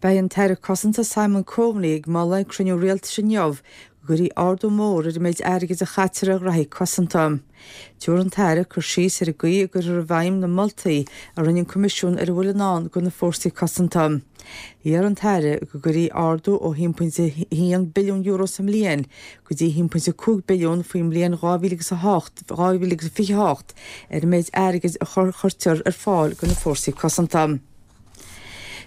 Beidh an tAire Cosanta Simon Coveney ag moladh ag cruinniú rialtais inniu go gcuirfí ardú mór ar an méid airgid a chaitear ar ghraithí cosanta. Tabharfaidh an tAire cur síos ar an gcaoi a gcuirfear i bhfeidhm na moltaí a rinne an Coimisiún ar a bhfuil i ndán do na fórsaí cosanta. Iarr an tAire go gcuirfí ardú ó €1.1 billiún sa mbliain go dtí 1.5 billiún faoin mbliain 2008, 2028 ar an méid airgid a chuirtear ar fáil do na fórsaí cosanta.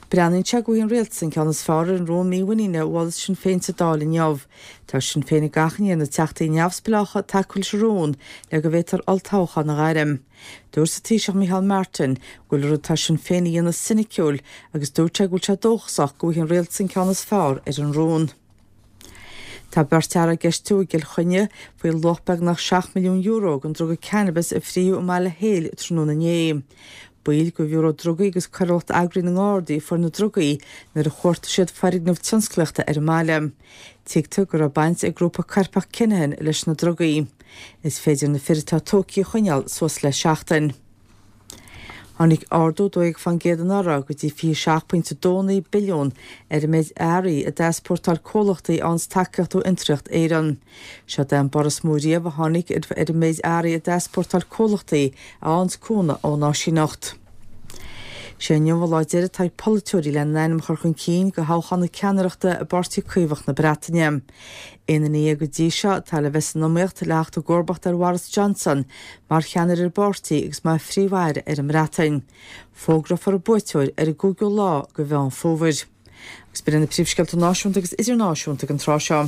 Breathnaíonn sé go bhfaighidh an rialtas an ceann is fearr ar an rún mímhuiníne a mholfas Sinn Féin sa Dáil inniu. Tá Sinn Féin ag achainí ar na teachtaí neamhspleácha tacú leis an rún le go bhféadfar olltoghchán a ghairm. Dúirt an Taoiseach Micheál Martin go bhfuil an rud atá Sinn Féin a dhéanamh soiniciúil agus dúirt sé go bhfuil sé dóchasach go bhfaighidh an rialtas an ceann is fearr ar an rún. Tá beirt fhear á gceistiú i gCill Chainnigh faoi luach beagnach €7 milliún den druga cannabis a frítheadh i mBaile Héil tráthnóna inné. Baill de Bhiúró Drugaí agus Coiriúlacht Eagraithe na nGardaí a fuair na drugaí nuair a chuartaigh siad foirgneamh tionsclaíochta ar an mbaile. Tuigtear go raibh baint ag grúpa coirpeach Kinahan leis na drugaí. Is féidir na fir atá tógtha a choinneáil suas le seachtain. Tháinig ardú 12% anuraidh go dtí 27.29 billiún ar an méid earraí a d'easpórtáil comhlachtaí a fhaigheanns tacaíocht ó Fhiontraíocht Éireann. Seod é an borradh is mó riamh a tháinig ar an méid earraí a d'easpórtáil comhlachtaí a fhaigheanns cúnamh ón áisíneacht. Sé inniu an lá deiridh atá ag polaiteoirí lena n-ainm a chur chun cinn do thoghchán na ceannaireachta i bPáirtí Caomhach na Breataine. Aon duine go dtí seo atá le bheith san iomaíocht le theacht i gcomharbacht ar Bhoris Johnson mar cheannaire ar an bpáirtí agus mar Phríomh-Aire ar an mBreatain. Fógrófar an buaiteoir ar an gcúigiú lá de Mheán Fómhair. Agus b'in iad na príomhscéalta náisiúnta agus idirnáisiúnta ag an tráth seo.